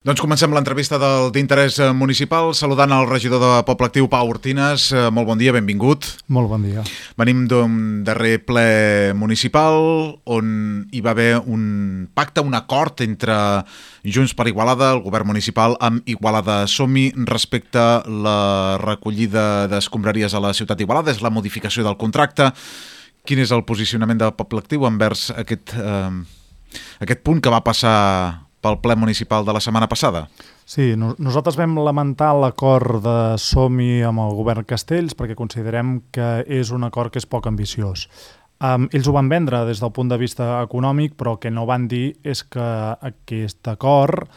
Doncs comencem l'entrevista d'interès municipal saludant el regidor de Poble Actiu, Pau Ortines. Molt bon dia, benvingut. Molt bon dia. Venim d'un darrer ple municipal on hi va haver un pacte, un acord entre Junts per Igualada, el govern municipal, amb Igualada Som-hi respecte a la recollida d'escombraries a la ciutat d'Igualada. És la modificació del contracte. Quin és el posicionament de Poble Actiu envers aquest punt que va passar pel ple municipal de la setmana passada? Sí, nosaltres vam lamentar l'acord de Som-hi amb el govern Castells perquè considerem que és un acord que és poc ambiciós. Ells ho van vendre des del punt de vista econòmic, però el que no van dir és que aquest acord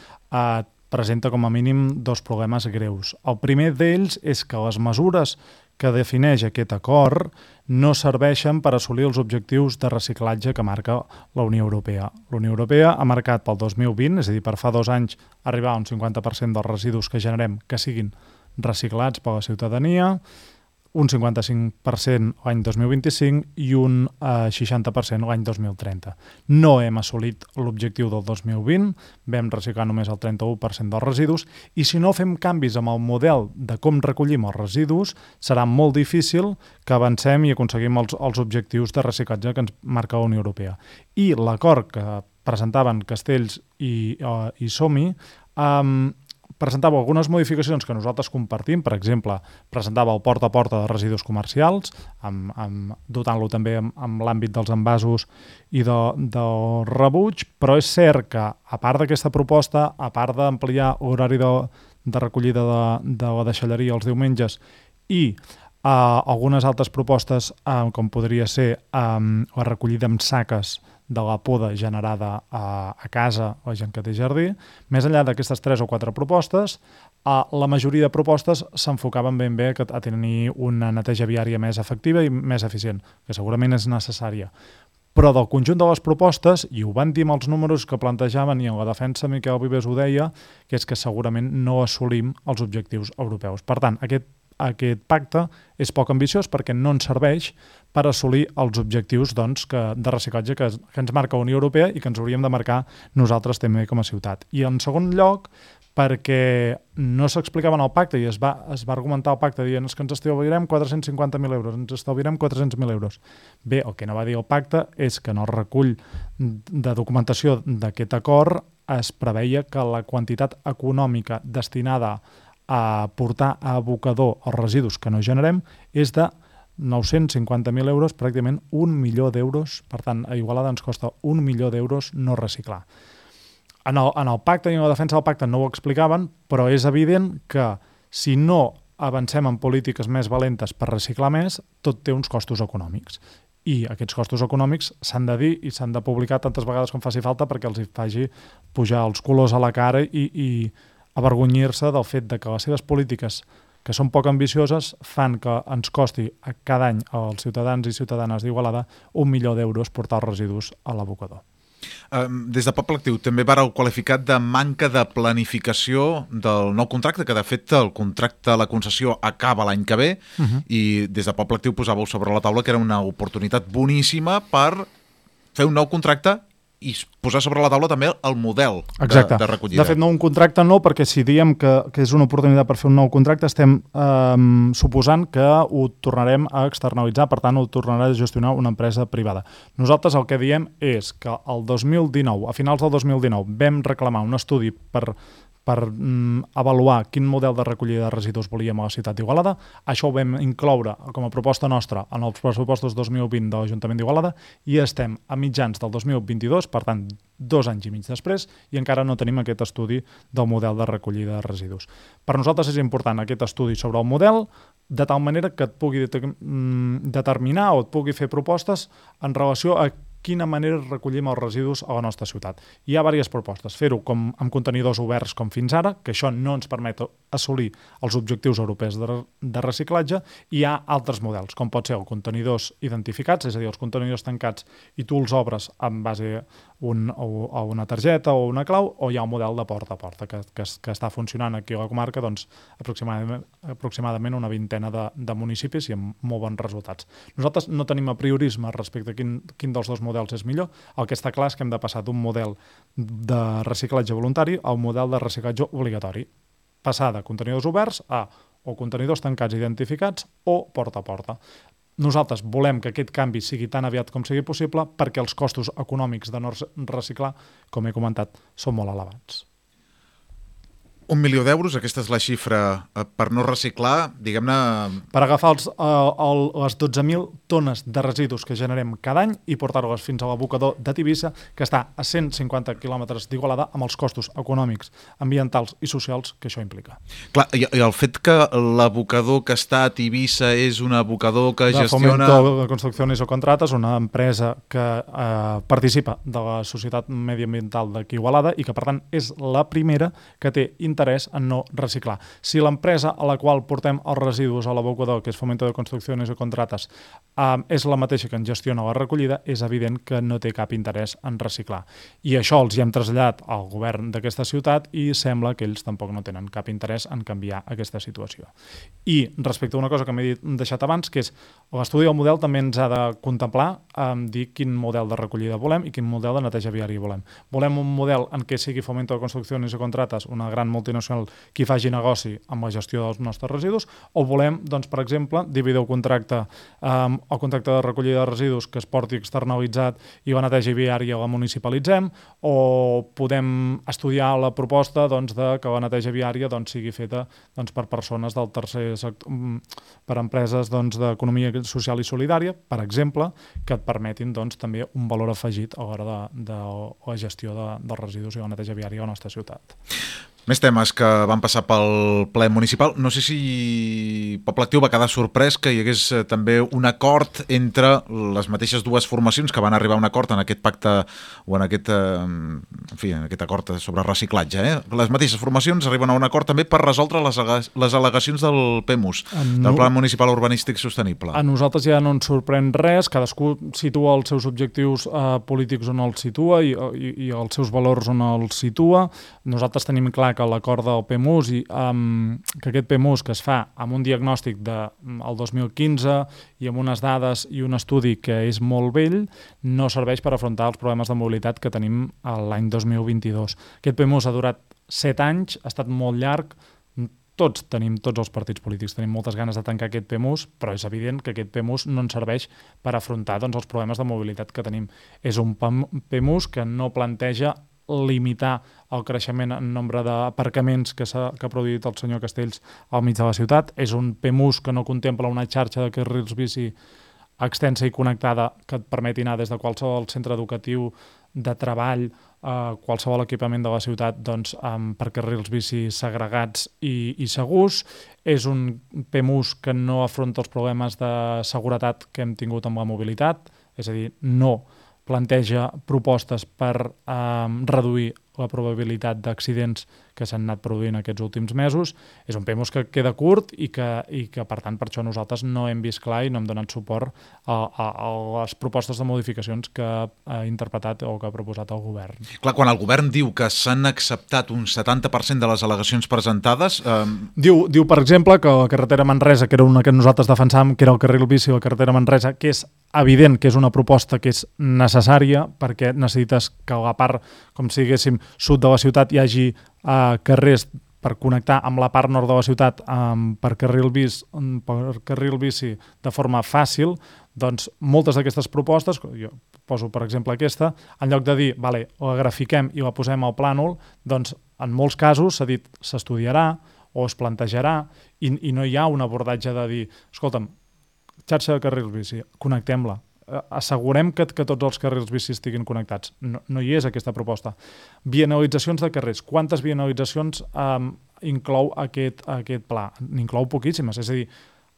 presenta com a mínim dos problemes greus. El primer d'ells és que les mesures que defineix aquest acord no serveixen per assolir els objectius de reciclatge que marca la Unió Europea. La Unió Europea ha marcat pel 2020, és a dir, per fa 2 anys, arribar a un 50% dels residus que generem que siguin reciclats per la ciutadania, un 55% l'any 2025 i un 60% l'any 2030. No hem assolit l'objectiu del 2020, vam reciclar només el 31% dels residus, i si no fem canvis amb el model de com recollim els residus, serà molt difícil que avancem i aconseguim els objectius de reciclatge que ens marca la Unió Europea. I l'acord que presentaven Castells i Som-hi presentava algunes modificacions que nosaltres compartim. Per exemple, presentava el porta a porta de residus comercials, dotant-lo també amb l'àmbit dels envasos i del rebuig, però és cert que, a part d'aquesta proposta, a part d'ampliar l'horari de recollida de la deixalleria els diumenges i algunes altres propostes, com podria ser la recollida amb saques de la poda generada a casa o gent que té jardí, més enllà d'aquestes 3 o 4 propostes, la majoria de propostes s'enfocaven ben bé a tenir una neteja viària més efectiva i més eficient, que segurament és necessària. Però del conjunt de les propostes, i ho van dir amb els números que plantejaven i en la defensa Miquel Vives ho deia, que és que segurament no assolim els objectius europeus. Per tant, aquest pacte és poc ambiciós perquè no ens serveix per assolir els objectius de reciclatge que ens marca la Unió Europea i que ens hauríem de marcar nosaltres també com a ciutat. I en segon lloc, perquè no s'explicava en el pacte i es va argumentar el pacte dient que ens estalviarem 450.000 euros, ens estalviarem 400.000 euros. Bé, el que no va dir el pacte és que en el recull de documentació d'aquest acord es preveia que la quantitat econòmica destinada a portar a abocador els residus que no generem és de 950.000 euros, pràcticament 1 milió d'euros. Per tant, a Igualada ens costa 1 milió d'euros no reciclar. En el pacte i en la defensa del pacte no ho explicaven, però és evident que si no avancem en polítiques més valentes per reciclar més, tot té uns costos econòmics. I aquests costos econòmics s'han de dir i s'han de publicar tantes vegades com faci falta perquè els hi faci pujar els colors a la cara i avergonyir-se del fet de que les seves polítiques, que són poc ambicioses, fan que ens costi cada any als ciutadans i ciutadanes d'Igualada 1 milió d'euros portar els residus a l'abocador. Des de Poble Actiu també vareu qualificar de manca de planificació del nou contracte, que de fet el contracte, la concessió acaba l'any que ve, i des de Poble Actiu posàveu sobre la taula que era una oportunitat boníssima per fer un nou contracte i posar sobre la taula també el model de recollida. De fet, no un contracte no, perquè si diem que és una oportunitat per fer un nou contracte, estem suposant que ho tornarem a externalitzar, per tant, ho tornarà a gestionar una empresa privada. Nosaltres el que diem és que el 2019, a finals del 2019, vam reclamar un estudi per avaluar quin model de recollida de residus volíem a la ciutat d'Igualada. Això ho vam incloure com a proposta nostra en els pressupostos 2020 de l'Ajuntament d'Igualada i estem a mitjans del 2022, per tant, 2 anys i mig després, i encara no tenim aquest estudi del model de recollida de residus. Per nosaltres és important aquest estudi sobre el model, de tal manera que et pugui determinar o et pugui fer propostes en relació a quina manera recollim els residus a la nostra ciutat. Hi ha diverses propostes. Fer-ho amb contenidors oberts com fins ara, que això no ens permet assolir els objectius europeus de reciclatge, i hi ha altres models, com pot ser els contenidors identificats, és a dir, els contenidors tancats i tu els obres en base a una targeta o una clau, o hi ha un model de porta a porta que està funcionant aquí a la comarca aproximadament una vintena de municipis i amb molt bons resultats. Nosaltres no tenim apriorisme respecte a quin dels dos models models és millor. El que està clar és que hem de passar d'un model de reciclatge voluntari a un model de reciclatge obligatori. Passar de contenidors oberts a o contenidors tancats identificats o porta a porta. Nosaltres volem que aquest canvi sigui tan aviat com sigui possible perquè els costos econòmics de no reciclar, com he comentat, són molt elevats. 1 milió d'euros, aquesta és la xifra per no reciclar, diguem-ne... Per agafar les 12.000 tones de residus que generem cada any i portar-les fins a l'abocador de Tivissa, que està a 150 quilòmetres d'Igualada, amb els costos econòmics, ambientals i socials que això implica. Clar, i el fet que l'abocador que està a Tivissa és un abocador que gestiona... De Fomento de Construcciones o Contratas, una empresa que participa de la Societat Mediambiental d'aquí Igualada i que, per tant, és la primera que té interès en no reciclar. Si l'empresa a la qual portem els residus a l'abocador, que és Fomento de Construcciones o Contratas, és la mateixa que en gestiona la recollida, és evident que no té cap interès en reciclar. I això els hi hem traslladat al govern d'aquesta ciutat i sembla que ells tampoc no tenen cap interès en canviar aquesta situació. I respecte a una cosa que m'he deixat abans, que és l'estudi del model també ens ha de contemplar dir quin model de recollida volem i quin model de neteja viària volem. Volem un model en què sigui Fomento de Construcciones o Contratas una gran multinacional qui faci negoci amb la gestió dels nostres residus, o volem, doncs, per exemple, dividir el contracte de recollida de residus que es porti externalitzat i la neteja viària la municipalitzem, o podem estudiar la proposta de que la neteja viària sigui feta per persones del tercer sector, per empreses d'economia social i solidària, per exemple, que et permetin també un valor afegit a l'hora de la gestió dels residus i la neteja viària a la nostra ciutat. Més temes que van passar pel ple municipal. No sé si Poble Actiu va quedar sorprès que hi hagués també un acord entre les mateixes dues formacions que van arribar a un acord en aquest pacte o en aquest acord sobre reciclatge. Les mateixes formacions arriben a un acord també per resoldre les al·legacions del PEMUS, del Pla Municipal Urbanístic Sostenible. A nosaltres ja no ens sorprèn res, cadascú situa els seus objectius polítics on els situa i els seus valors on els situa. Nosaltres tenim clar que l'acord del PEMUS que aquest PEMUS que es fa amb un diagnòstic del 2015 i amb unes dades i un estudi que és molt vell, no serveix per afrontar els problemes de mobilitat que tenim l'any 2022. Aquest PEMUS ha durat 7 anys, ha estat molt llarg, tots els partits polítics tenim moltes ganes de tancar aquest PEMUS, però és evident que aquest PEMUS no ens serveix per afrontar els problemes de mobilitat que tenim. És un PEMUS que no planteja limitar el creixement en nombre d'aparcaments que ha produït el senyor Castells al mig de la ciutat. És un PEMUS que no contempla una xarxa de carrils bici extensa i connectada que et permeti anar des de qualsevol centre educatiu, de treball, qualsevol equipament de la ciutat per carrils bici segregats i segurs. És un PEMUS que no afronta els problemes de seguretat que hem tingut amb la mobilitat, és a dir, no planteja propostes per reduir la probabilitat d'accidents que s'han anat produint aquests últims mesos. És un PEMUS que queda curt i que per tant, per això nosaltres no hem vist clar i no hem donat suport a les propostes de modificacions que ha interpretat o que ha proposat el govern. Clar, quan el govern diu que s'han acceptat un 70% de les al·legacions presentades... Diu, per exemple, que la carretera Manresa, que era una que nosaltres defensàvem, que era el carril bici, la carretera Manresa, que és evident que és una proposta que és necessària perquè necessites que a la part, com si diguéssim, sud de la ciutat hi hagi carrers per connectar amb la part nord de la ciutat per carril bici de forma fàcil. Doncs moltes d'aquestes propostes, jo poso per exemple aquesta, en lloc de dir, vale, la grafiquem i la posem al plànol, doncs en molts casos s'ha dit s'estudiarà o es plantejarà i no hi ha un abordatge de dir, escolta'm, xarxa de carrils bici, connectem-la. Assegurem que tots els carrils bici estiguin connectats. No hi és aquesta proposta. Bienalitzacions de carrers. Quantes bienalitzacions inclou aquest pla? N'inclou poquíssimes. És a dir,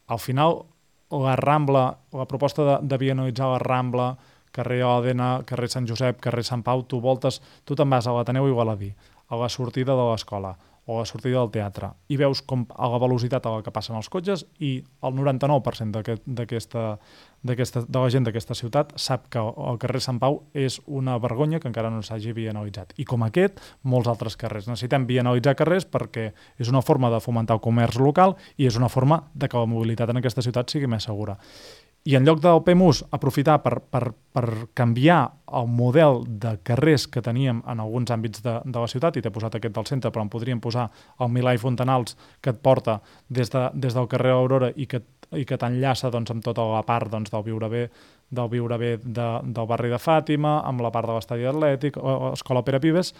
al final, la Rambla, la proposta de bienalitzar la Rambla, carrer Òdena, carrer Sant Josep, carrer Sant Pau, tu te'n vas a l'Ateneu Igualadí, a la sortida de l'escola o a la sortida del teatre, i veus com a la velocitat a la que passen els cotxes i el 99% de la gent d'aquesta ciutat sap que el carrer Sant Pau és una vergonya que encara no s'hagi bienalitzat. I com aquest, molts altres carrers. Necessitem bienalitzar carrers perquè és una forma de fomentar el comerç local i és una forma de que la mobilitat en aquesta ciutat sigui més segura. I en lloc del PEMUS aprofitar per canviar el model de carrers que teníem en alguns àmbits de la ciutat, i t'he posat aquest del centre, però en podríem posar el Milà i Fontanals, que et porta des del carrer Aurora i que t'enllaça doncs, amb tota la part doncs, del viure bé del barri de Fàtima, amb la part de l'estadi atlètic, o Escola Pere Vives,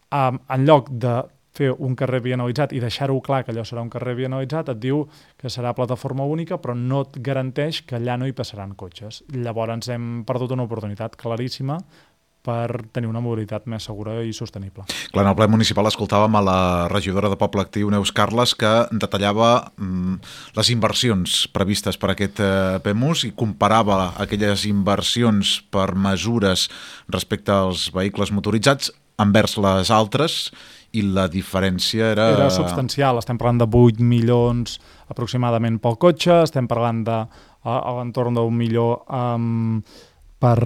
en lloc de fer un carrer vianalitzat i deixar-ho clar que allò serà un carrer vianalitzat, et diu que serà plataforma única, però no et garanteix que allà no hi passaran cotxes. Llavors hem perdut una oportunitat claríssima per tenir una mobilitat més segura i sostenible. Clar, en el ple municipal escoltàvem a la regidora de Poble Actiu, Neus Carles, que detallava les inversions previstes per aquest PEMUS i comparava aquelles inversions per mesures respecte als vehicles motoritzats envers les altres, i la diferència era substancial. Estem parlant de 8 milions aproximadament pel cotxe, estem parlant de a l'entorn d'1 milió per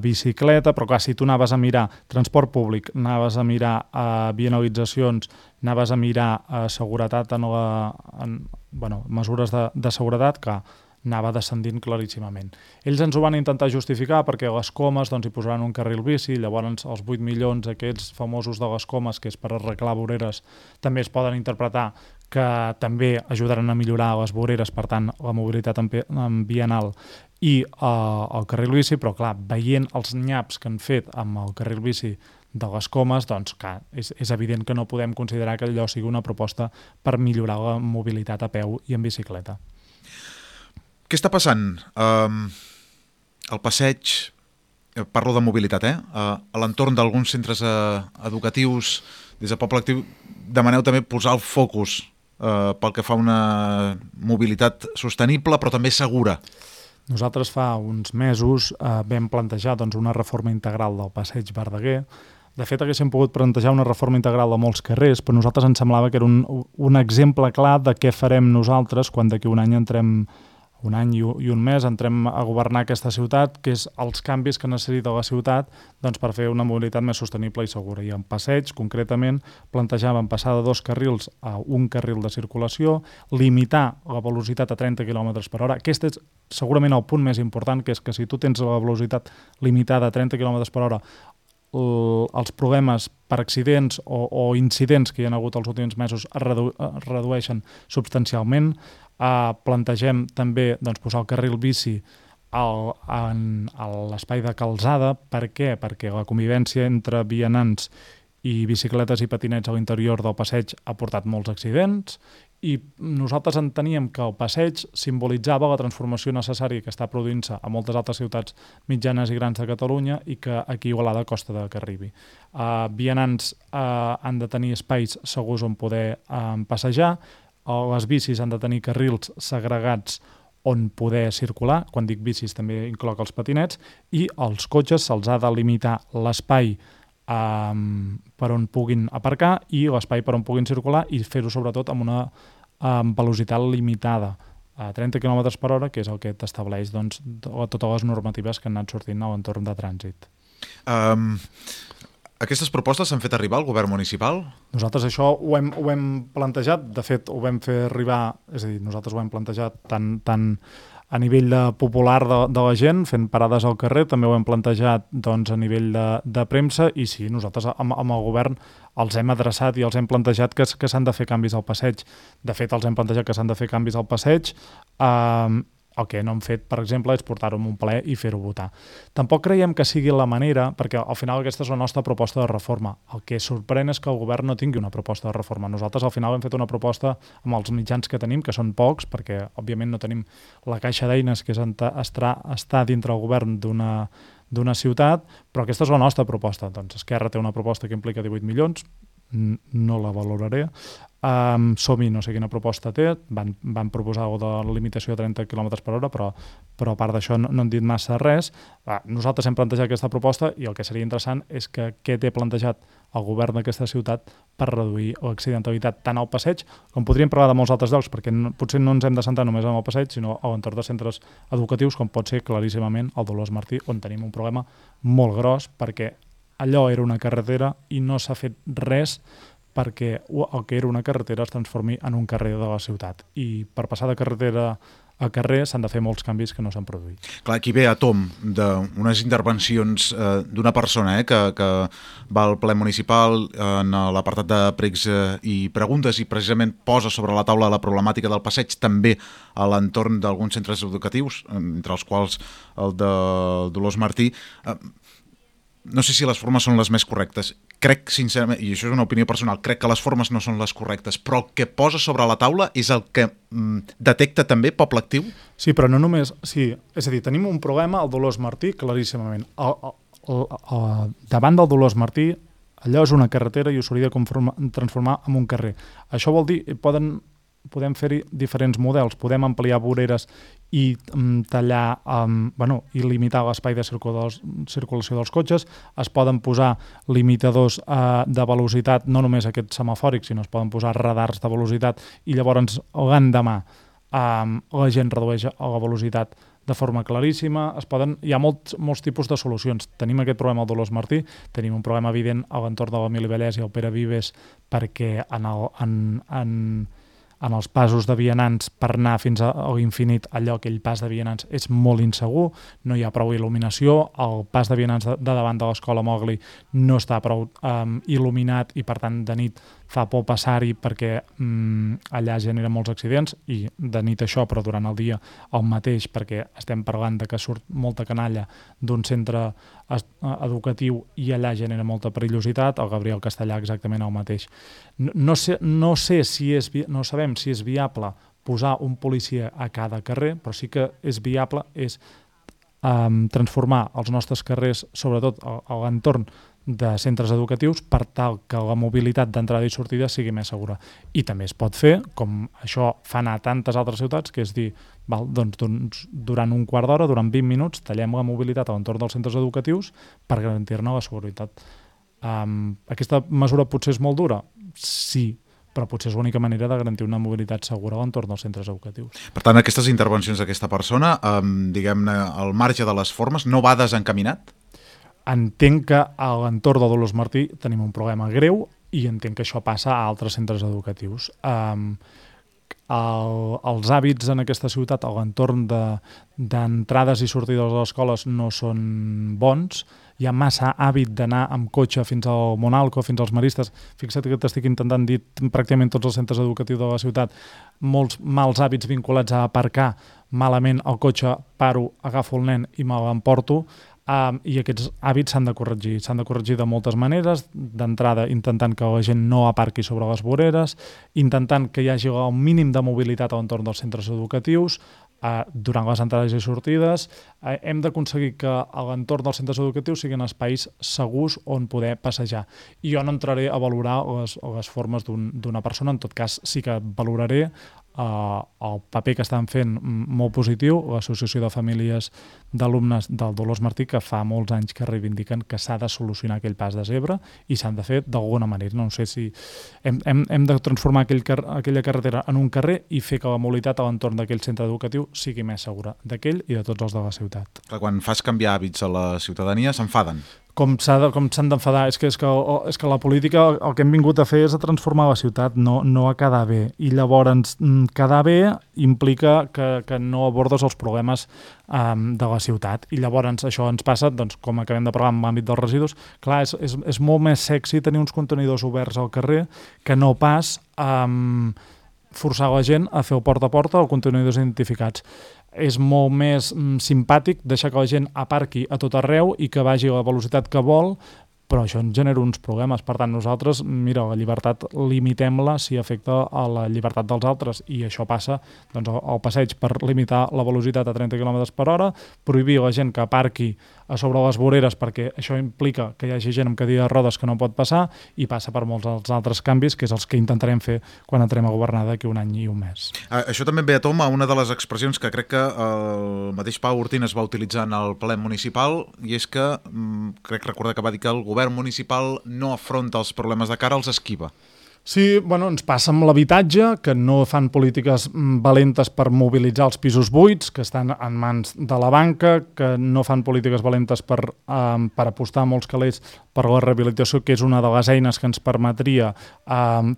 bicicleta, però clar, si tu anaves a mirar transport públic, anaves a mirar vianalitzacions, anaves a mirar seguretat mesures de seguretat, que anava descendint claríssimament. Ells ens ho van intentar justificar perquè a les Comes doncs, hi posaran un carril bici, llavors els 8 milions aquests famosos de les Comes, que és per arreglar voreres, també es poden interpretar que també ajudaran a millorar les voreres, per tant, la mobilitat en vianal i el carril bici, però clar, veient els nyaps que han fet amb el carril bici de les Comes, doncs clar, és evident que no podem considerar que allò sigui una proposta per millorar la mobilitat a peu i en bicicleta. Què està passant? El passeig, parlo de mobilitat, a l'entorn d'alguns centres educatius, des de Poble Actiu, demaneu també posar el focus pel que fa a una mobilitat sostenible, però també segura. Nosaltres fa uns mesos vam plantejar doncs, una reforma integral del passeig Verdaguer. De fet, haguéssim pogut plantejar una reforma integral de molts carrers, però a nosaltres ens semblava que era un exemple clar de què farem nosaltres quan d'aquí un any un any i un mes entrem a governar aquesta ciutat, que és els canvis que necessita la ciutat doncs, per fer una mobilitat més sostenible i segura. I en passeig, concretament, plantejàvem passar de 2 carrils a un carril de circulació, limitar la velocitat a 30 km per hora. Aquest és segurament el punt més important, que és que si tu tens la velocitat limitada a 30 km per hora, els problemes per accidents o incidents que hi ha hagut els últims mesos es redueixen substancialment. Plantegem també doncs, posar el carril bici a l'espai de calçada. Per què? Perquè la convivència entre vianants i bicicletes i patinets a l'interior del passeig ha portat molts accidents i nosaltres enteníem que el passeig simbolitzava la transformació necessària que està produint-se a moltes altres ciutats mitjanes i grans de Catalunya i que aquí a Igualada costa que arribi. Vianants han de tenir espais segurs on poder passejar, les bicis han de tenir carrils segregats on poder circular, quan dic bicis també incloc els patinets, i als cotxes se'ls ha de limitar l'espai per on puguin aparcar i l'espai per on puguin circular i fer-ho sobretot amb una velocitat limitada a 30 km per hora, que és el que t'estableix doncs, totes les normatives que han anat sortint a l'entorn de trànsit. Aquestes propostes s'han fet arribar al govern municipal? Nosaltres això ho hem plantejat, de fet ho vam fer arribar, és a dir, nosaltres ho hem plantejat tant a nivell popular de la gent, fent parades al carrer, també ho hem plantejat doncs, a nivell de premsa i sí, nosaltres amb el govern els hem adreçat i els hem plantejat que s'han de fer canvis al passeig. De fet, els hem plantejat que s'han de fer canvis al passeig. El que no hem fet, per exemple, és portar-ho en un ple i fer-ho votar. Tampoc creiem que sigui la manera, perquè al final aquesta és la nostra proposta de reforma. El que sorprèn és que el govern no tingui una proposta de reforma. Nosaltres al final hem fet una proposta amb els mitjans que tenim, que són pocs, perquè òbviament no tenim la caixa d'eines que és està dintre el govern d'una ciutat, però aquesta és la nostra proposta. Doncs Esquerra té una proposta que implica 18 milions, no la valoraré. Som-hi no sé quina proposta té, van proposar de la limitació de 30 km per hora, però a part d'això no han dit massa res. Nosaltres hem plantejat aquesta proposta i el que seria interessant és que què té plantejat el govern d'aquesta ciutat per reduir l'accidentalitat tant al passeig, com podríem parlar de molts altres llocs, perquè potser no ens hem de centrar només en el passeig, sinó a l'entorn de centres educatius, com pot ser claríssimament el Dolors Martí, on tenim un problema molt gros, perquè allò era una carretera i no s'ha fet res perquè el que era una carretera es transformi en un carrer de la ciutat. I per passar de carretera a carrer s'han de fer molts canvis que no s'han produït. Clar, aquí ve a tom d'unes intervencions d'una persona que va al ple municipal en l'apartat de pregs i preguntes i precisament posa sobre la taula la problemàtica del passeig també a l'entorn d'alguns centres educatius, entre els quals el de Dolors Martí. No sé si les formes són les més correctes. Crec, sincerament, i això és una opinió personal, crec que les formes no són les correctes, però el que posa sobre la taula és el que detecta també Poble Actiu? Sí, però no només... Sí, és a dir, tenim un problema al Dolors Martí claríssimament. Davant del Dolors Martí, allò és una carretera i ho s'hauria de transformar en un carrer. Això vol dir, podem fer-hi diferents models, podem ampliar voreres i tallar, i limitar l'espai de circulació dels cotxes, es poden posar limitadors de velocitat, no només aquests semafòrics, sinó es poden posar radars de velocitat i llavors l'endemà la gent redueix la velocitat de forma claríssima. Hi ha molts tipus de solucions. Tenim aquest problema al Dolors Martí, tenim un problema evident a l'entorn de l'Emili Vallès i el Pere Vives perquè en els passos de vianants per anar fins a l'infinit, aquell pas de vianants és molt insegur, no hi ha prou il·luminació, el pas de vianants de davant de l'escola Mowgli no està prou il·luminat i per tant de nit fa por passar-hi perquè allà genera molts accidents i de nit això, però durant el dia el mateix, perquè estem parlant de que surt molta canalla d'un centre educatiu i allà genera molta perillositat, el Gabriel Castellà exactament el mateix. No sabem si és viable posar un policia a cada carrer, però sí que és viable transformar els nostres carrers, sobretot a l'entorn de centres educatius, per tal que la mobilitat d'entrada i sortida sigui més segura. I també es pot fer, com això fan a tantes altres ciutats, que és dir, doncs, durant un quart d'hora, durant 20 minuts, tallem la mobilitat a l'entorn dels centres educatius per garantir-ne la seguretat. Aquesta mesura potser és molt dura? Sí, però potser és l'única manera de garantir una mobilitat segura a l'entorn dels centres educatius. Per tant, aquestes intervencions d'aquesta persona, diguem-ne, al marge de les formes, no va desencaminat? Entenc que a l'entorn de Dolors Martí tenim un problema greu i entenc que això passa a altres centres educatius. Els hàbits en aquesta ciutat a l'entorn d'entrades i sortides de les escoles no són bons. Hi ha massa hàbit d'anar amb cotxe fins al Monalco, fins als Maristes. Fixa't que t'estic intentant dir pràcticament tots els centres educatius de la ciutat. Molts mals hàbits vinculats a aparcar malament el cotxe, paro, agafo el nen i me l'emporto. I aquests hàbits s'han de corregir de moltes maneres, d'entrada intentant que la gent no aparqui sobre les voreres, intentant que hi hagi un mínim de mobilitat a l'entorn dels centres educatius, durant les entrades i sortides. Hem d'aconseguir que a l'entorn dels centres educatius siguin espais segurs on poder passejar. I jo no entraré a valorar les formes d'una persona, en tot cas sí que valoraré el paper que estan fent molt positiu l'Associació de Famílies d'Alumnes del Dolors Martí, que fa molts anys que reivindiquen que s'ha de solucionar aquell pas de zebra i s'han de fer d'alguna manera. No sé si hem de transformar aquella carretera en un carrer i fer que la mobilitat a l'entorn d'aquell centre educatiu sigui més segura, d'aquell i de tots els de la ciutat. Quan fas canviar hàbits a la ciutadania s'enfaden. Com s'han d'enfadar. És que la política el que hem vingut a fer és a transformar la ciutat, no a quedar bé. I llavors quedar bé implica que no abordes els problemes de la ciutat. I llavors això ens passa, doncs, com acabem de parlar en l'àmbit dels residus, clar, és molt més sexy tenir uns contenidors oberts al carrer que no pas forçar la gent a fer el porta a porta o contenidors identificats. És molt més simpàtic deixar que la gent aparqui a tot arreu i que vagi a la velocitat que vol, però això ens genera uns problemes. Per tant, nosaltres, mira, la llibertat limitem-la si afecta a la llibertat dels altres, i això passa doncs, al passeig per limitar la velocitat a 30 km per hora, prohibir a la gent que aparqui a sobre les voreres perquè això implica que hi hagi gent amb cadira de rodes que no pot passar, i passa per molts dels altres canvis, que és els que intentarem fer quan entrem a governar d'aquí un any i un mes. Això també ve a tom a una de les expressions que crec que el mateix Pau Ortín es va utilitzar en el ple municipal, i és que crec recordar que va dir que el govern municipal no afronta els problemes de cara, els esquiva. Sí, ens passa amb l'habitatge, que no fan polítiques valentes per mobilitzar els pisos buits, que estan en mans de la banca, que no fan polítiques valentes per apostar molts calés per la rehabilitació, que és una de les eines que ens permetria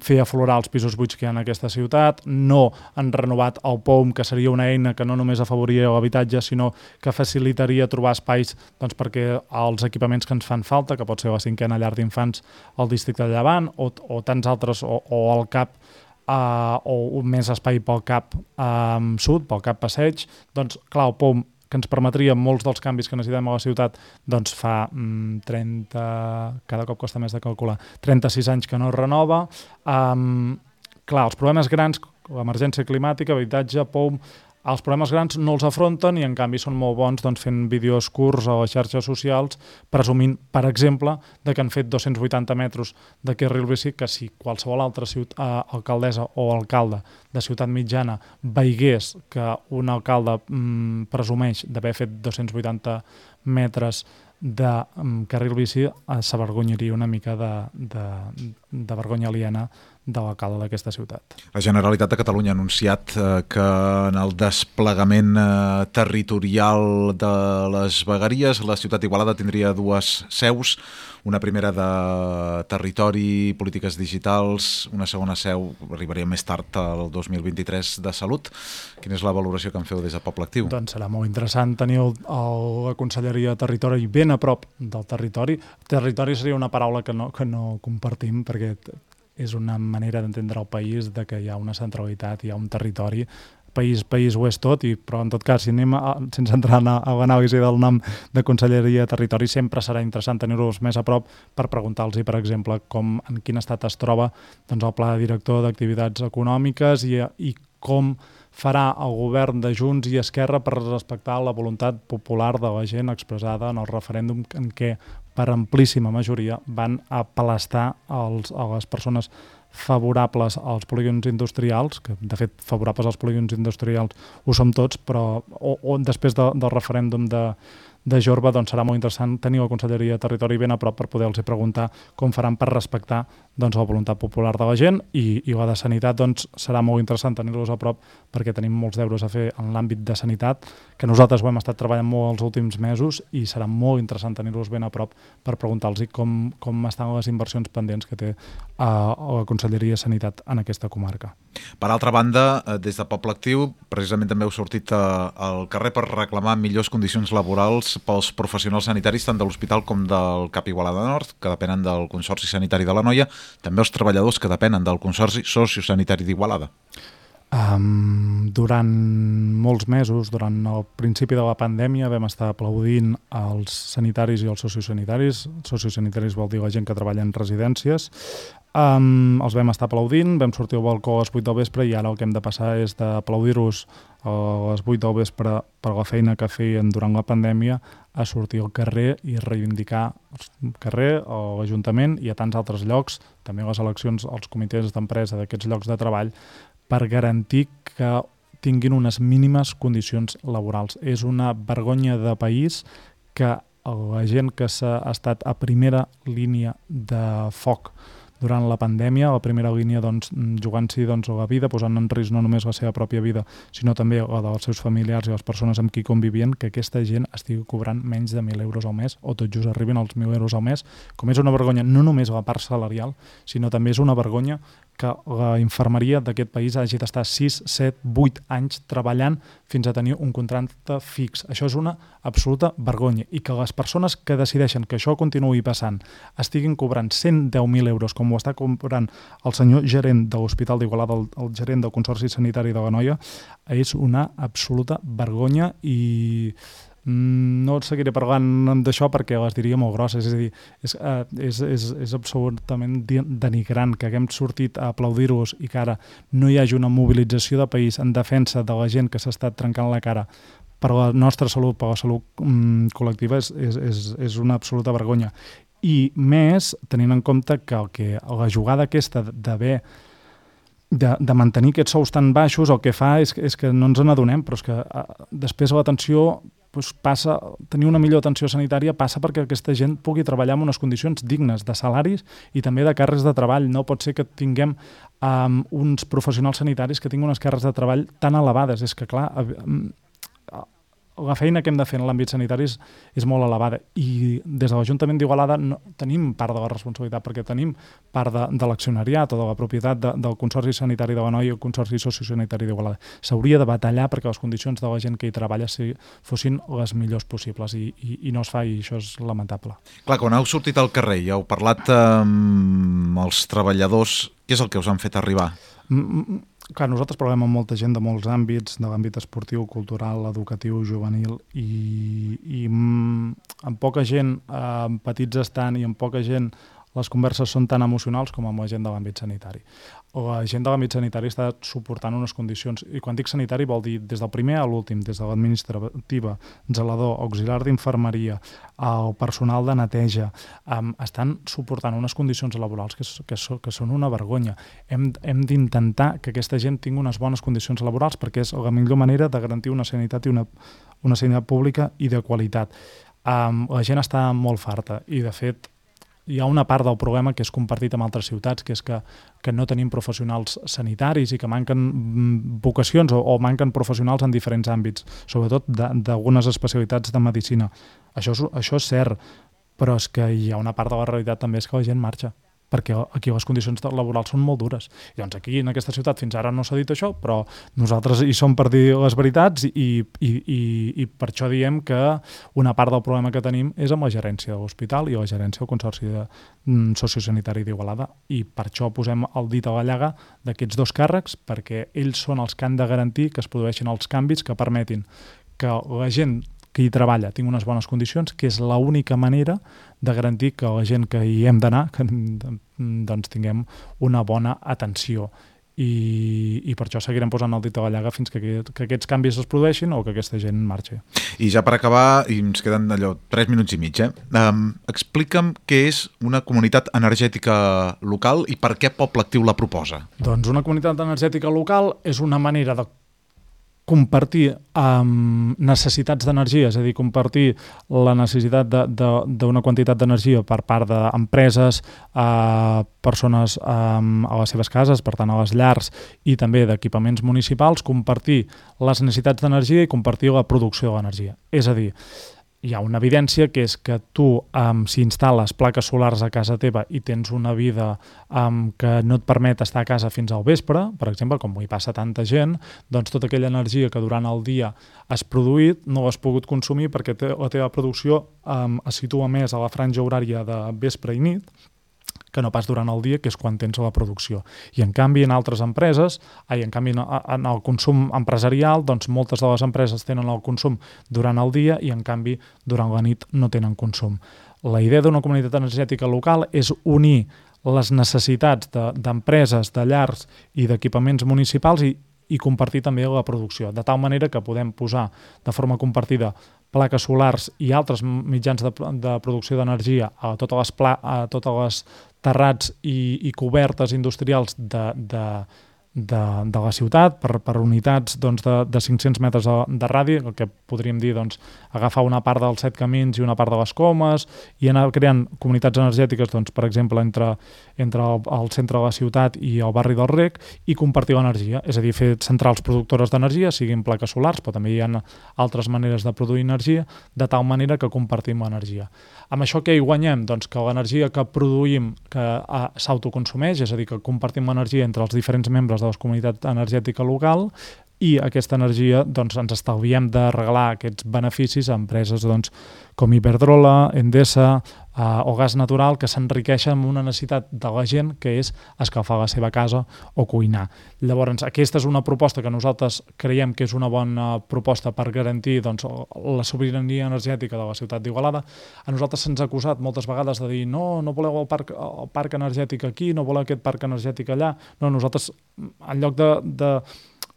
fer aflorar els pisos buits que hi ha en aquesta ciutat. No han renovat el POUM, que seria una eina que no només afavoriria l'habitatge, sinó que facilitaria trobar espais perquè els equipaments que ens fan falta, que pot ser la 5a llar d'infants al districte de Llevant o tants altres, o el CAP, o més espai pel CAP sud, pel CAP Passeig, doncs clar, el POUM, que ens permetria molts dels canvis que necessitem a la ciutat, doncs fa 30, cada cop costa més de calcular, 36 anys que no es renova. Clar, els problemes grans, l'emergència climàtica, habitatge, POUM, els problemes grans no els afronten i en canvi són molt bons fent vídeos curts a les xarxes socials presumint, per exemple, que han fet 280 metres de carril bici, que si qualsevol altra alcaldessa o alcalde de ciutat mitjana veigués que un alcalde presumeix d'haver fet 280 metres de carril bici, s'avergonyaria una mica de vergonya aliena de l'alcalde d'aquesta ciutat. La Generalitat de Catalunya ha anunciat que en el desplegament territorial de les vegueries la ciutat d'Igualada tindria 2 seus, una primera de territori i polítiques digitals, una segona seu arribaria més tard el 2023 de salut. Quina és la valoració que en feu des de Poble Actiu? Doncs serà molt interessant tenir la Conselleria de Territori ben a prop del territori. Territori seria una paraula que no compartim perquè és una manera d'entendre el país, de que hi ha una centralitat, hi ha un territori, país ho és tot, però en tot cas, si anem sense entrar a l'anàlisi del nom de Conselleria de Territori, sempre serà interessant tenir-los més a prop per preguntar-los, per exemple, en quin estat es troba el pla director d'activitats econòmiques i com farà el govern de Junts i Esquerra per respectar la voluntat popular de la gent expressada en el referèndum en què per amplíssima majoria van apel·lastar a les persones favorables als polígons industrials, que de fet favorables als polígons industrials ho som tots, però després del referèndum de Jorba, doncs serà molt interessant tenir la Conselleria de Territori ben a prop per poder-los preguntar com faran per respectar la voluntat popular de la gent, i la de Sanitat serà molt interessant tenir-los a prop perquè tenim molts deures a fer en l'àmbit de sanitat, que nosaltres ho hem estat treballant molt els últims mesos i serà molt interessant tenir-los ben a prop per preguntar-los com estan les inversions pendents que té la Conselleria de Sanitat en aquesta comarca. Per altra banda, des de Poble Actiu, precisament també heu sortit al carrer per reclamar millors condicions laborals pels professionals sanitaris tant de l'Hospital com del CAP Igualada Nord, que depenen del Consorci Sanitari de l'Anoia, també els treballadors que depenen del Consorci Sociosanitari d'Igualada. Durant molts mesos, durant el principi de la pandèmia, vam estar aplaudint els sanitaris i els sociosanitaris. Sociosanitaris vol dir la gent que treballa en residències. Els vam estar aplaudint, vam sortir al balcó a les 8 del vespre i ara el que hem de passar és d'aplaudir-los a les 8 del vespre per la feina que feien durant la pandèmia a sortir al carrer i reivindicar el carrer, l'Ajuntament i a tants altres llocs, també les eleccions als comitès d'empresa d'aquests llocs de treball, per garantir que tinguin unes mínimes condicions laborals. És una vergonya de país que la gent que s'ha estat a primera línia de foc durant la pandèmia, a la primera línia jugant-s'hi la vida, posant en risc no només la seva pròpia vida, sinó també la dels seus familiars i les persones amb qui convivien, que aquesta gent estigui cobrant menys de 1.000 euros al mes o tot just arribin als 1.000 euros al mes, com és una vergonya no només la part salarial, sinó també és una vergonya que la infermeria d'aquest país hagi d'estar 6, 7, 8 anys treballant fins a tenir un contracte fix. Això és una absoluta vergonya i que les persones que decideixen que això continuï passant estiguin cobrant 110.000 euros com ho està cobrant el senyor gerent de l'Hospital d'Igualada, el gerent del Consorci Sanitari de l'Anoia, és una absoluta vergonya i no seguiré parlant d'això perquè les diria molt grosses, és a dir, és absolutament denigrant que haguem sortit a aplaudir-los i que ara no hi hagi una mobilització de país en defensa de la gent que s'ha estat trencant la cara per la nostra salut, per la salut col·lectiva, és una absoluta vergonya. I més, tenint en compte que la jugada aquesta d'haver de mantenir aquests sous tan baixos, el que fa és que no ens n'adonem, però és que després l'atenció tenir una millor atenció sanitària passa perquè aquesta gent pugui treballar en unes condicions dignes de salaris i també de càrrecs de treball. No pot ser que tinguem uns professionals sanitaris que tinguin unes càrrecs de treball tan elevades. És que, clar, la feina que hem de fer en l'àmbit sanitari és molt elevada i des de l'Ajuntament d'Igualada tenim part de la responsabilitat perquè tenim part de l'accionariat o de la propietat del Consorci Sanitari de l'Anoia i el Consorci Sociosanitari d'Igualada. S'hauria de batallar perquè les condicions de la gent que hi treballa fossin les millors possibles i no es fa i això és lamentable. Clar, quan heu sortit al carrer i heu parlat amb els treballadors, què és el que us han fet arribar? Clar, nosaltres parlem amb molta gent de molts àmbits, de l'àmbit esportiu, cultural, educatiu, juvenil i amb poca gent, amb petits estant i amb poca gent les converses són tan emocionals com amb la gent de l'àmbit sanitari. La gent de l'àmbit sanitari està suportant unes condicions, i quan dic sanitari vol dir des del primer a l'últim, des de l'administrativa, zelador, auxiliar d'infermeria, el personal de neteja, estan suportant unes condicions laborals que són una vergonya. Hem d'intentar que aquesta gent tingui unes bones condicions laborals perquè és la millor manera de garantir una sanitat i una sanitat pública i de qualitat. La gent està molt farta i, de fet, hi ha una part del problema que és compartit amb altres ciutats, que és que no tenim professionals sanitaris i que manquen vocacions o manquen professionals en diferents àmbits, sobretot d'algunes especialitats de medicina. Això és cert, però és que hi ha una part de la realitat també és que la gent marxa, perquè aquí les condicions laborals són molt dures. I doncs aquí, en aquesta ciutat, fins ara no s'ha dit això, però nosaltres hi som per dir les veritats i per això diem que una part del problema que tenim és amb la gerència de l'hospital i la gerència del Consorci Sociosanitari d'Igualada. I per això posem el dit a la llaga d'aquests dos càrrecs, perquè ells són els que han de garantir que es produeixin els canvis que permetin que la gent que hi treballa tingui unes bones condicions, que és l'única manera de garantir que la gent que hi hem d'anar doncs tinguem una bona atenció. I per això seguirem posant el dit a la llaga fins que aquests canvis es produeixin o que aquesta gent marxi. I ja per acabar, i ens queden 3 minuts i mig, explica'm què és una comunitat energètica local i per què Poble Actiu la proposa. Doncs una comunitat energètica local és una manera de compartir necessitats d'energia, és a dir, compartir la necessitat d'una quantitat d'energia per part d'empreses, persones a les seves cases, per tant a les llars i també d'equipaments municipals, compartir les necessitats d'energia i compartir la producció de l'energia. És a dir, hi ha una evidència que és que tu, si instal·les plaques solars a casa teva i tens una vida que no et permet estar a casa fins al vespre, per exemple, com hi passa tanta gent, doncs tota aquella energia que durant el dia has produït no l'has pogut consumir perquè la teva producció es situa més a la franja horària de vespre i nit, que no pas durant el dia, que és quan tens la producció. I en canvi, en altres empreses, en el consum empresarial, doncs moltes de les empreses tenen el consum durant el dia i en canvi durant la nit no tenen consum. La idea d'una comunitat energètica local és unir les necessitats d'empreses, de llars i d'equipaments municipals i compartir també la producció, de tal manera que podem posar de forma compartida plaques solars i altres mitjans de producció d'energia a totes les terrats i cobertes industrials de la ciutat per unitats de 500 metres de radi, el que podríem dir agafar una part dels 7 camins i una part de les Comes i anar creant comunitats energètiques, per exemple, entre el centre de la ciutat i el barri del Rec i compartir l'energia, és a dir, fer centrals productores d'energia, siguin plaques solars, però també hi ha altres maneres de produir energia, de tal manera que compartim l'energia. Amb això què hi guanyem? Doncs que l'energia que produïm que s'autoconsumeix, és a dir, que compartim l'energia entre els diferents membres de la comunitat energètica local i aquesta energia ens estalviem de regalar aquests beneficis a empreses com Iberdrola, Endesa o Gas Natural que s'enriqueixen amb una necessitat de la gent que és escalfar la seva casa o cuinar. Llavors, aquesta és una proposta que nosaltres creiem que és una bona proposta per garantir la sobirania energètica de la ciutat d'Igualada. A nosaltres se'ns ha acusat moltes vegades de dir no voleu el parc energètic aquí, no voleu aquest parc energètic allà. No, nosaltres, en lloc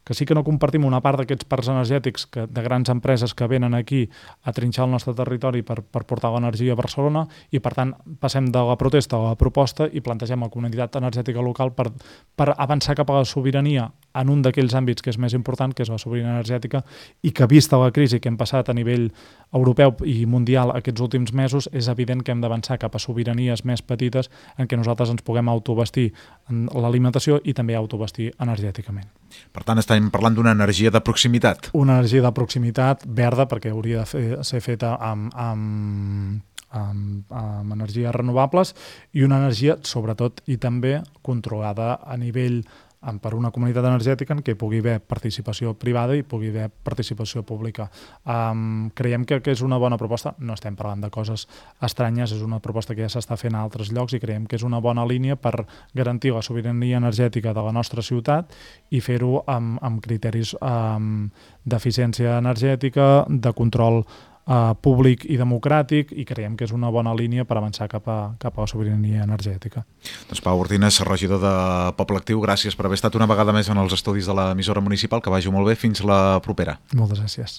que sí que no compartim una part d'aquests parcs energètics de grans empreses que venen aquí a trinxar el nostre territori per portar l'energia a Barcelona i, per tant, passem de la protesta a la proposta i plantegem la comunitat energètica local per avançar cap a la sobirania en un d'aquells àmbits que és més important, que és la sobirania energètica, i que vista la crisi que hem passat a nivell europeu i mundial aquests últims mesos, és evident que hem d'avançar cap a sobiranies més petites en què nosaltres ens puguem autobastir en l'alimentació i també autobastir energèticament. Per tant, estem parlant d'una energia de proximitat. Una energia de proximitat verda, perquè hauria de ser feta amb energies renovables, i una energia, sobretot, i també controlada a nivell per una comunitat energètica en què pugui haver participació privada i pugui haver participació pública. Creiem que és una bona proposta, no estem parlant de coses estranyes, és una proposta que ja s'està fent a altres llocs i creiem que és una bona línia per garantir la sobirania energètica de la nostra ciutat i fer-ho amb criteris d'eficiència energètica, de control públic i democràtic, i creiem que és una bona línia per avançar cap a la sobirania energètica. Doncs Pau Ortines, regidor de Poble Actiu, gràcies per haver estat una vegada més en els estudis de l'emissora municipal, que vagi molt bé, fins la propera. Moltes gràcies.